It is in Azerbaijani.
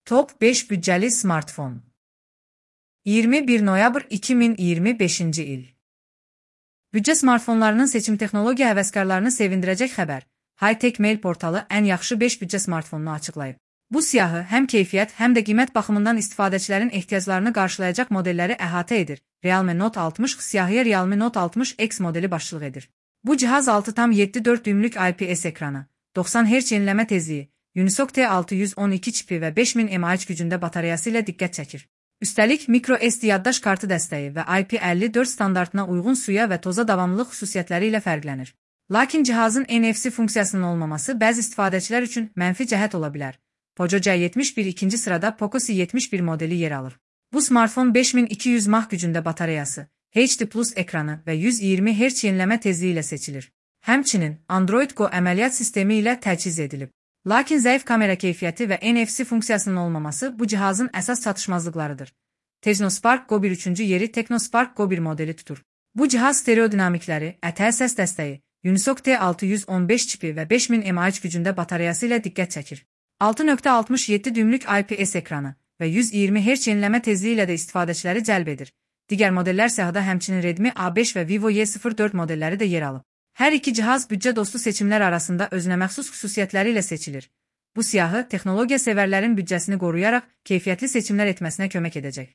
Top 5 bütçeli smartfon. 21 noyabr 2025 il. Bütçə smartfonlarının seçim texnologiya həvəskarlarını sevindirəcək xəbər. High-Tech Mail portalı ən yaxşı 5 bütçə smartfonunu açıqlayıb. Bu siyahı həm keyfiyyət, həm də qiymət baxımından istifadəçilərin ehtiyaclarını qarşılayacaq modelləri əhatə edir. Realme Note 60 siyahıya Realme Note 60X modeli başçılıq edir. Bu cihaz 6,74 düymlük IPS ekranı, 90 Hz yenileme tezliyi, Unisoc T612 çipi və 5000 mAh gücündə batareyası ilə diqqət çəkir. Üstəlik, microSD yaddaş kartı dəstəyi və IP54 standartına uyğun suya və toza davamlılıq xüsusiyyətləri ilə fərqlənir. Lakin cihazın NFC funksiyasının olmaması bəzi istifadəçilər üçün mənfi cəhət ola bilər. Poco C71 ikinci sırada Poco C71 modeli yer alır. Bu smartfon 5200 mAh gücündə batareyası, HD Plus ekranı və 120 Hz yenileme tezliyi ilə seçilir. Həmçinin Android Go əməliyyat sistemi ilə təchiz edilib. Lakin zəif kamera keyfiyyəti və NFC funksiyasının olmaması bu cihazın əsas çatışmazlıqlarıdır. Technospark Go 1 üçüncü yeri Technospark Go 1 modeli tutur. Bu cihaz stereo dinamikləri, ətər səs dəstəyi, Unisoc T615 çipi və 5000 mAh gücündə batareyası ilə diqqət çəkir. 6,67 düymlük IPS ekranı və 120 Hz yenileme tezliyi ilə də istifadəçiləri cəlb edir. Digər modellər siyahıda həmçinin Redmi A5 və Vivo Y04 modelləri də yer alıb. Hər iki cihaz bütçə dostu seçimlər arasında özünəməxsus xüsusiyyətləri ilə seçilir. Bu siyahı texnologiya sevərlərin bütçəsini qoruyaraq keyfiyyətli seçimlər etməsinə kömək edəcək.